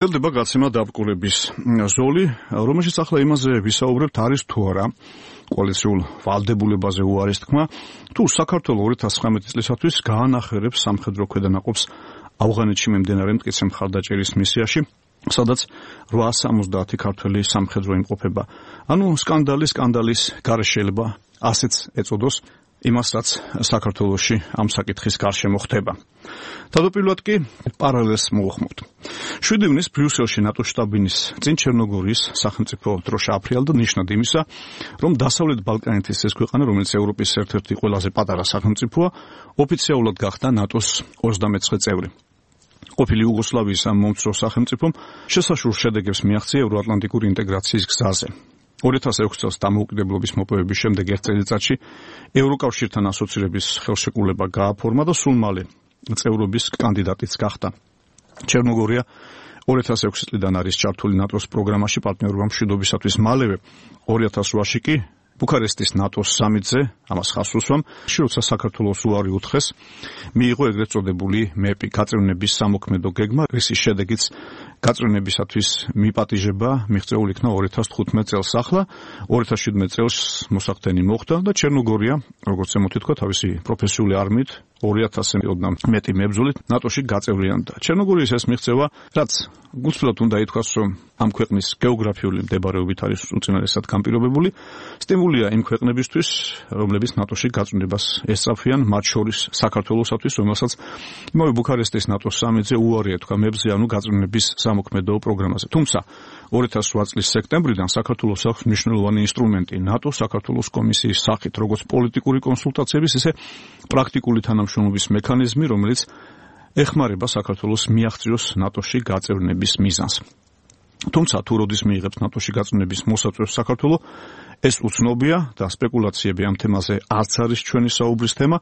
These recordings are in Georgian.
ელდება გაცემა დაბრკოლების ზოლი, რომელშიც ახლა იმაზე ვისაუბრებთ, არის თუ არა კოალიციურ ვალდებულებაზე უარის თქმა, თუ საქართველოს 2019 წლისათვის გაანახერებს სამხედრო ქვედანაყოფს ავღანეთში მიმდინარე მტკიცე მხარდაჭერის მისიაში, სადაც 870 ქართველი სამხედრო იმყოფება. ანუ სკანდალის გარეშე შეიძლება ასეც ეწოდოს იმას, რაც საქართველოში ამ საკითხის გარშემო ხდება. თავდაპირველად კი პარალელს მოვხმობთ. 7 ივნის ბრიუსელში ნატოს შტაბ-ბინის წინ ჩერნოგორიის სახელმწიფო დროშა აფრიალდა ნიშნად იმისა, რომ დასავლეთ ბალკანეთის ეს ქვეყანა, რომელიც ევროპის ერთ-ერთი ყველაზე პატარა სახელმწიფოა, ოფიციალურად გახდა ნატოს 29 წევრი. ყოფილი იუგოსლავიის ამ მომცრო სახელმწიფომ შესაშურ შედეგებს მიაღწია ევროატლანტიკური ინტეგრაციის გზაზე. 2006 წელს დამოუკიდებლობის მოპოვების შემდეგ ერთ წელიწადში ევროკავშირთან ასოცირების ხელშეკრულება გააფორმა და სულ მალე წევრობის კანდიდატიც გახდა. ჩერნოგორია 2006 წლიდან არის ჩართული ნატოს პროგრამაში პარტნიორობა მშვიდობისათვის. მალევე 2008-ში კი ბუქარესტის ნატოს სამიტზე ამას ხაზს უსვამ, როცა საქართველოს უარი უთხრეს, მიიღო ეგრეთ წოდებული მეპი გაწევნების სამოქმედო გეგმა, რის შედეგიც გაწევნებისათვის მიპატიჟება მიღწეულ იქნა 2015 წელს. ახლა 2017 წელს მოსახდენი მოხდა და ჩერნოგორია, როგორც ემოთი თქვა, თავისი პროფესიული არმიით 2000-ოდან მეტი მებრძოლით ნატოში გაწევრიანდა. ჩერნოგორიის ეს მიღწევა, რაც გულწრფელად უნდა ითქვას, რომ ამ ქვეყნის გეოგრაფიული მდებარეობით არის უწინარესად განპირობებული, სტიმულია იმ ქვეყნებისთვის, რომლებიც ნატოში გაწევრებას ესწრაფვიან, მათ შორის საქართველოსათვის, რომელსაც იმავე ბუქარესტის ნატოს სამიტზე უარი ეთქვა მებრძე, ანუ გაწევრების სამოქმედო პროგრამაზე. თუმცა 2008 წლის სექტემბრიდან საქართველოს აქვს მნიშვნელოვანი ინსტრუმენტი ნატო-საქართველოს კომისიის სახით, როგორც პოლიტიკური კონსულტაციების, ისე პრაქტიკული თანამშრომლობის მექანიზმი, რომელიც ეხმარება საქართველოს მიაღწიოს ნატოში გაწევრების მიზანს. თუმცა თუ როდის მიიღებს ნატოში გაწევრების მოსაწვევს საქართველო, ეს უცნობია და სპეკულაციები ამ თემაზე არც არის ჩვენი საუბრის თემა.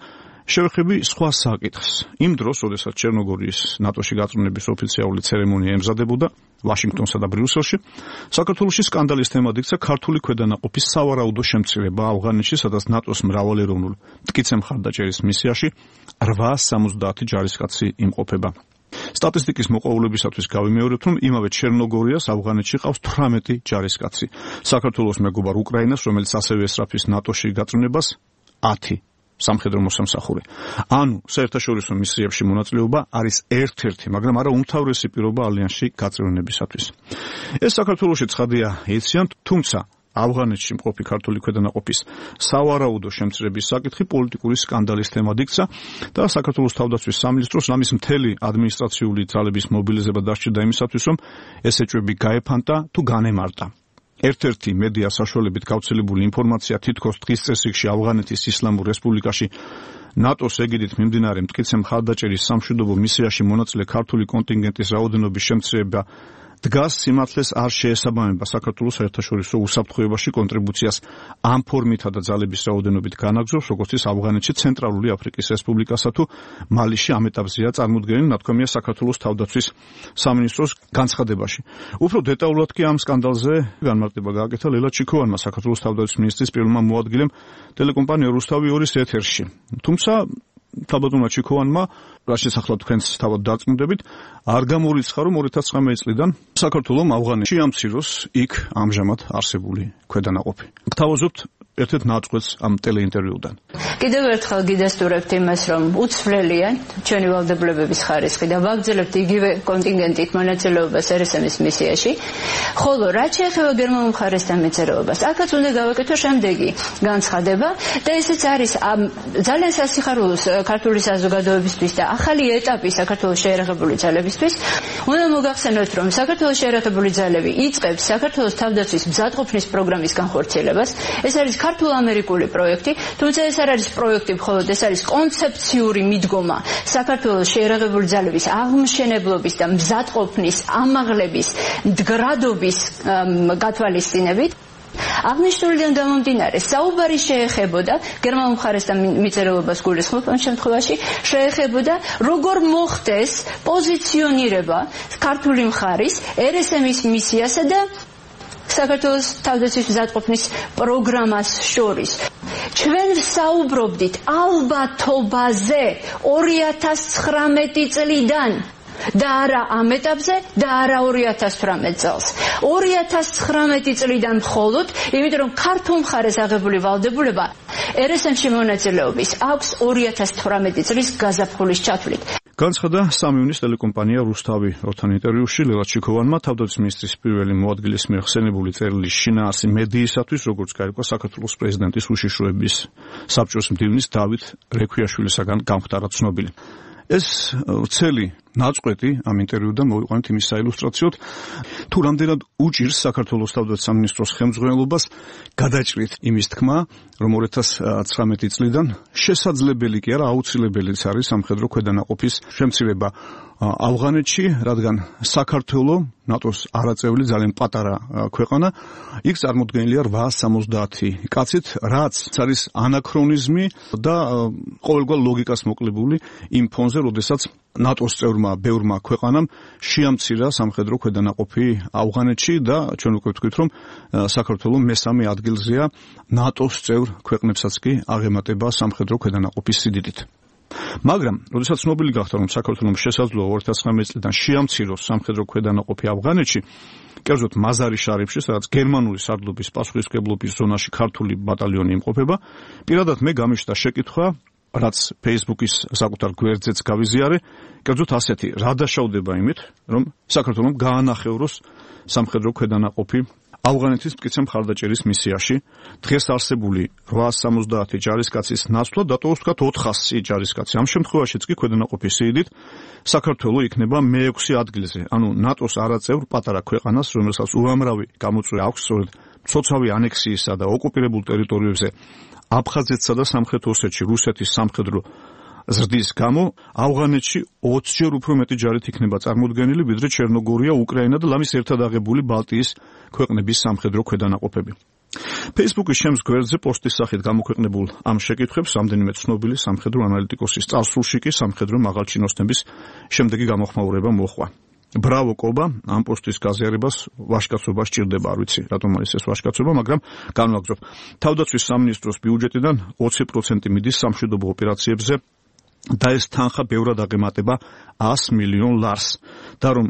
შევეხები სხვა საკითხს. იმ დროს, როდესაც ჩერნოგორიის ნატოში გაწევრების ოფიციალური ცერემონია ემზადებოდა ვაშინგტონსა და ბრიუსელში, საქართველოში სკანდალის თემად იქცა ქართული ქვედანაყოფის სავარაუდო შემცირება ავღანეთში, სადაც ნატოს მრავალეროვნულ მტკიცე მხარდაჭერის მისიაში 870 ჯარისკაცი იმყოფება. სტატისტიკის მოყვარულებისათვის გავიმეორებთ, რომ იმავე ჩერნოგორიას ავღანეთში ყავს 18 ჯარისკაცი. საქართველოს მეგობარ უკრაინას, რომელიც ასევე ესწრაფის ნატოში გაწევრებას 10 სამხედრო მოსამსახური. ანუ საერთაშორისო მისიებში მონაწილეობა არის ერთ-ერთი, მაგრამ არა უმთავრესი პირობა ალიანსში გაწევრებისათვის. ეს საქართველოში ცხადია იციან, თუმცა ავღანეთში მყოფი ქართული ქვედანაყოფის სავარაუდო შემცირების საკითხი პოლიტიკური სკანდალის თემად იქცა და საქართველოს თავდაცვის სამინისტროს ამის მთელი ადმინისტრაციული ძალების მობილიზება დასჭირდა იმისათვის, რომ ეს ეჭვები გაეფანტა თუ განემარტა. ერთ-ერთი მედია საშუალებით გავრცელებული ინფორმაცია თითქოს დღის წესრიგში ავღანეთის ისლამურ რესპუბლიკაში ნატოს ეგიდით მიმდინარე მტკიცე მხარდაჭერის სამშვიდობო მისიაში მონაწილე ქართული კონტინგენტის რაოდენობის შემცირება დგას, სიმართლეს არ შეესაბამება საქართველოს საერთაშორისო უსაფრთხოებაში კონტრიბუციას ამ ფორმითა და ძალების რაოდენობით განაგზობს, როგორც ის ავღანეთში, ცენტრალური აფრიკის რესპუბლიკასა თუ მალიში ამ ეტაპზეა წარმოდგენილი, ნათქვამია საქართველოს თავდაცვის სამინისტროს განცხადებაში. უფრო დეტალურად კი ამ სკანდალზე განმარტება გააკეთა ლელა ჩიქოვანმა, საქართველოს თავდაცვის მინისტრის პირველმა მოადგილემ ტელეკომპანია რუსთავი 2-ის ეთერში. თუმცა თავდაცვა ჩიქოვანმა, რაც შესახლა თქვენს თავად დარწმუნდებით, არ გამორიცხა, რომ 2019 წლიდან საქართველოს ავღანეთში ამციროს იქ ამჟამად არსებული ქვედანაყოფი. გთავაზობთ ერთ-ერთ ნაწყვეტს ამ ტელეინტერვიუდან. კიდევ ერთხელ გიდასტურებთ იმას, რომ უცვლელია ჩვენი ვალდებულებების ხარისხი და ვაგრძელებთ იგივე კონტინგენტით მონაწილეობას RSM-ის მისიაში, ხოლო რაც შეეხება გერმანულ მხარესთან მეცერეობას, აქაც უნდა გავაკეთო შემდეგი განცხადება და ესეც არის ძალიან სასიხარულოს ქართული საზოგადოებისთვის და ახალი ეტაპი საქართველოს შეერაღებული ძალებისთვის. უნდა მოგახსენოთ, რომ საქართველოს შეერაღებული ძალები იწყებს საქართველოს თავდაცვის მზადყოფნის პროგრამის განხორციელებას. ეს არის ქართულ-ამერიკული პროექტი, თუმცა ეს არ არის პროექტი მხოლოდ, ეს არის კონცეფციური მიდგომა საქართველოს შეერაღებული ძალების აღმშენებლობის და მზადყოფნის, ამაღლების, მდგრადობის გათვალისწინებით. აღნიშნულიდან გამომდინარე, საუბარი შეეხებოდა გერმანულ მხარესთან მიწერეობას გულისხმობ ამ შემთხვევაში, შეეხებოდა როგორ მოხდეს პოზიციონირება ქართული მხარის RSM-ის მისიასა და საქართველოს თავდაცვის მზადყოფნის პროგრამას შორის. ჩვენ საუბრობდით ალბათობაზე 2019 წლიდან და არა ამ ეტაპზე და არა 2018 წელს. 2019 წლიდან მხოლოდ, იმიტომ რომ ქართულ მხარეს აღებული ვალდებულება RSM-ში მონაწილეობის აქვს 2018 წლის გაზაფხულის ჩათვლით. განცხადა სამივნის ტელეკომპანია რუსთავი როთან ინტერვიუში ლელა ჩიქოვანმა თავდაცვის მინისტრის პირველი მოადგილის მიერ ხსენებული წერილის შინაარსი მედიისათვის, როგორც გაირკვა საქართველოს პრეზიდენტის უშიშროების საბჭოს მდივნის დავით რექვიაშვილისაგან გამხდარა ცნობილი. ეს ვრცელი ნაწყვეტი ამ ინტერვიუდან მოვიყვანეთ იმის საილუსტრაციოდ, თუ რამდენად უჭირს საქართველოს თავდაცვის სამინისტროს ხელმძღვანელობას გადაჭრით იმის თქმა, რომ 2019 წლიდან შესაძლებელი კი არა, აუცილებელიც არის სამხედრო ქვედანაყოფის შემცირება ავღანეთში, რადგან საქართველო ნატოს არაწევრი ძალიან პატარა ქვეყანა, იქ წარმოდგენილია 870 კაცით, რაც არის ანაქრონიზმი და ყოველგვარ ლოგიკას მოკლებული იმ ფონზე, როდესაც ნატოს წევრმა ბევრმა ქვეყანამ შეამცირა სამხედრო ქვედანაყოფი ავღანეთში და ჩვენ უკვე ვთქვით, რომ საქართველო მესამე ადგილზეა ნატოს წევრ ქვეყნებსაც კი აღემატება სამხედრო ქვედანაყოფის სიდიდით. მაგრამ, როდესაც ცნობილი გახდა, რომ საქართველომ შესაძლოა 2019 წლიდან შეამციროს სამხედრო ქვედანაყოფი ავღანეთში, კერძოდ მაზარი-შარიფში, სადაც გერმანული სარდლობის პასუხისმგებლობის ზონაში ქართული ბატალიონი იმყოფება, პირადად მე გამიშთა შეკითხვა, რაც Facebook-ის საკუთარ გვერდზეც გავიზიარე, კერძოდ ასეთი, რა დაშავდება იმით, რომ საქართველომ გაანახევროს სამხედრო ქვედანაყოფი ავღანეთის მტკიცე მხარდაჭერის მისიაში, დღეს არსებული 870 ჯარისკაცის ნაცვლად დატოვოს თქვათ 400 ჯარისკაცი. ამ შემთხვევაშიც კი ქვედანაყოფის სიდიდით საქართველო იქნება მე-6 ადგილზე. ანუ ნატოს არაწევრ პატარა ქვეყანას, რომელსაც უამრავი გამოწვევა აქვს სწორედ მცოცავი ანექსიისა და ოკუპირებულ ტერიტორიებზე აფხაზეთსა და სამხრეთ ოსეთში რუსეთის სამხედრო ზრდის გამო ავღანეთში 20-ჯერ უფრო მეტი ჯარით იქნება წარმოდგენილი, ვიდრე ჩერნოგორია, უკრაინა და ლამის ერთად აღებული ბალტიის ქვეყნების სამხედრო ქვედანაყოფები. Facebook-ის შემს გვერდზე პოსტის სახით გამოქვეყნებულ ამ შეკითხვებს რამდენიმე ცნობილი სამხედრო ანალიტიკოსის წარსულში კი სამხედრო მაღალჩინოსნების შემდეგი გამოხმაურება მოჰყვა. ბრავო კობა, ამ პოსტის გაზიარებას ვაჟკაცობა სჭირდება, არ ვიცი, რატომ არის ეს ვაჟკაცობა, მაგრამ განვაგრძობ. თავდაცვის სამინისტროს ბიუჯეტიდან 20% მიდის სამშვიდობო ოპერაციებზე და ეს თანხა ბევრად აღემატება 100 მილიონ ლარს და რომ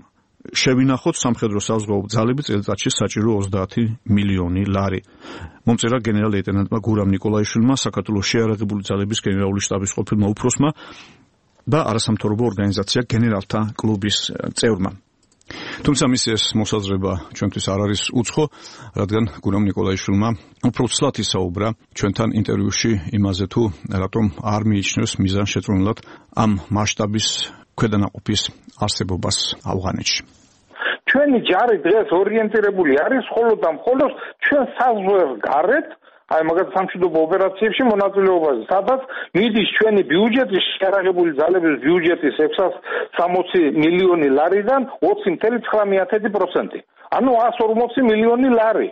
შევინახოთ სამხედრო საზღვაო ძალები წელიწადში საჭირო 30 მილიონი ლარი. მომწერა გენერალ-ლეიტენანტმა გურამ ნიკოლაიშვილმა, საქართველოს შეიარაღებული ძალების გენერალური შტაბის ყოფილმა უფროსმა და არასამთავრობო ორგანიზაცია გენერალთა კლუბის წევრმა. თუმცა მის ეს მოსაზრება ჩვენთვის არ არის უცხო, რადგან გურამ ნიკოლაიშვილმა უფრო ცლად ისაუბრა ჩვენთან ინტერვიუში იმაზე, თუ რატომ არ მიიჩნევს მიზანშეწონილად ამ მასშტაბის ქვედანაყოფის არსებობას ავღანეთში. ჩვენი ჯარი დღეს ორიენტირებული არის მხოლოდ და მხოლოდ ჩვენ საზღვარს გარეთ, აი მაგათ სამშვიდობო ოპერაციებში მონაწილეობაზე, სადაც მიდის ჩვენი ბიუჯეტის შეიარაღებული ძალების ბიუჯეტის 660 მილიონი ლარიდან 20.9%. ანუ 140 მილიონი ლარი.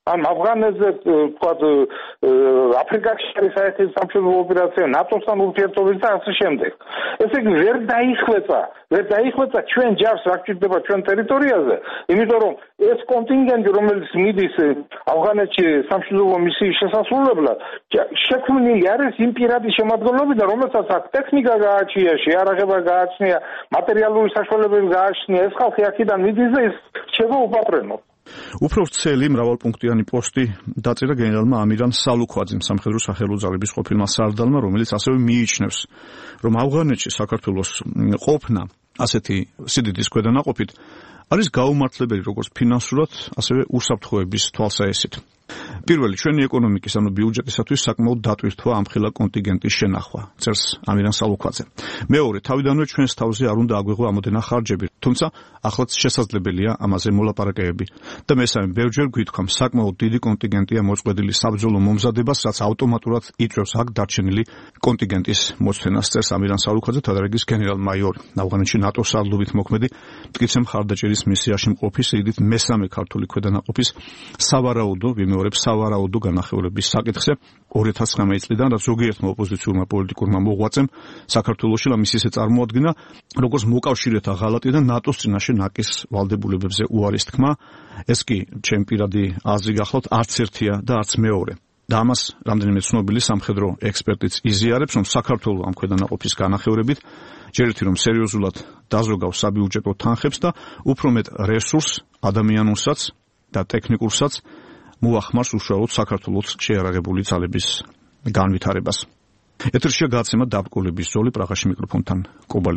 ამ ავღანეთზე თქვათ აფრიკაში არის საერთო სამშვიდობო ოპერაცია, ნატოსთან ურთიერთობის და ასე შემდეგ. ესე იგი ვერ დაიხვეწა ჩვენ ჯარს რა გჭირდება ჩვენ ტერიტორიაზე, იმიტომ რომ ეს კონტინგენტი, რომელიც მიდის ავღანეთში სამშვიდობო მისიის შესასრულებლად, შექმნილი არის იმ პირადი შემადგენლობიდან, რომელსაც აქ ტექნიკა გააჩნია, შეიარაღება გააჩნია, მატერიალური საშუალებები გააჩნია, ეს ხალხი აქედან მიდის და ის რჩება უპატრონო. უფრო ვრცელი მრავალპუნქტიანი პოსტი დაწერა გენერალმა ამირან სალუქვაძემ, სამხედრო სახელო ძალების ყოფილმა სარდალმა, რომელიც ასევე მიიჩნევს, რომ ავღანეთში საქართველოს ყოფნა ასეთი სიდიდის ქვედანაყოფით არის გაუმართლებელი როგორც ფინანსურად, ასევე უსაფრთხოების თვალსაჩინოდ. პირველი, ჩვენი ეკონომიკის, ანუ ბიუჯეტისათვის საკმაოდ დატვირთვა ამხელა კონტინგენტის შენახვა, წერს ამირან სალუქვაძე. მეორე, თავიდანვე ჩვენს თავზე არ უნდა აგვეღო ამოდენა ხარჯები, თუმცა ახლაც შესაძლებელია ამაზე მოლაპარაკებები. და მესამე, ბევრჯერ გვითქვამ, საკმაოდ დიდი კონტინგენტია მოწყვეტილი საბრძოლო მომზადებას, რაც ავტომატურად იწვევს აქ დარჩენილი კონტინგენტის მოცვენას, წერს ამირან სალუქვაძე, თადარიგის გენერალ-მაიორი. ავღანეთში ნატოს სარდლობით მოქმედი მტკიცე მხარდაჭერის მისიაში მყოფი სიდიდით მესამე ქართული ქვედანაყოფის სავარაუდო განახევრების საკითხზე 2019 წლიდან, რაც ზოგიერთმა ოპოზიციურმა პოლიტიკურმა მოღვაწემ საქართველოში მის ისე წარმოადგინა, როგორც მოკავშირეთა ღალატი და ნატოს წინაშე ნაკის ვალდებულებებზე უარის თქმა. ეს კი ჩემი პირადი აზრი გახლავთ, არც ერთია და არც მეორე. და ამას რამდენიმე ცნობილი სამხედრო ექსპერტიც იზიარებს, რომ საქართველო ამ ქვედანაყოფის განახევრებით ჯერ ერთი რომ სერიოზულად დაზოგავს საბიუჯეტო თანხებს და უფრო მეტ რესურსს, ადამიანურსაც და ტექნიკურსაც მოახმარს უშუალოდ საქართველოს შეიარაღებული ძალების განვითარებას. ეთერშია გადაცემა დაბრკოლების ზოლი პრაღაში მიკროფონთან კობალი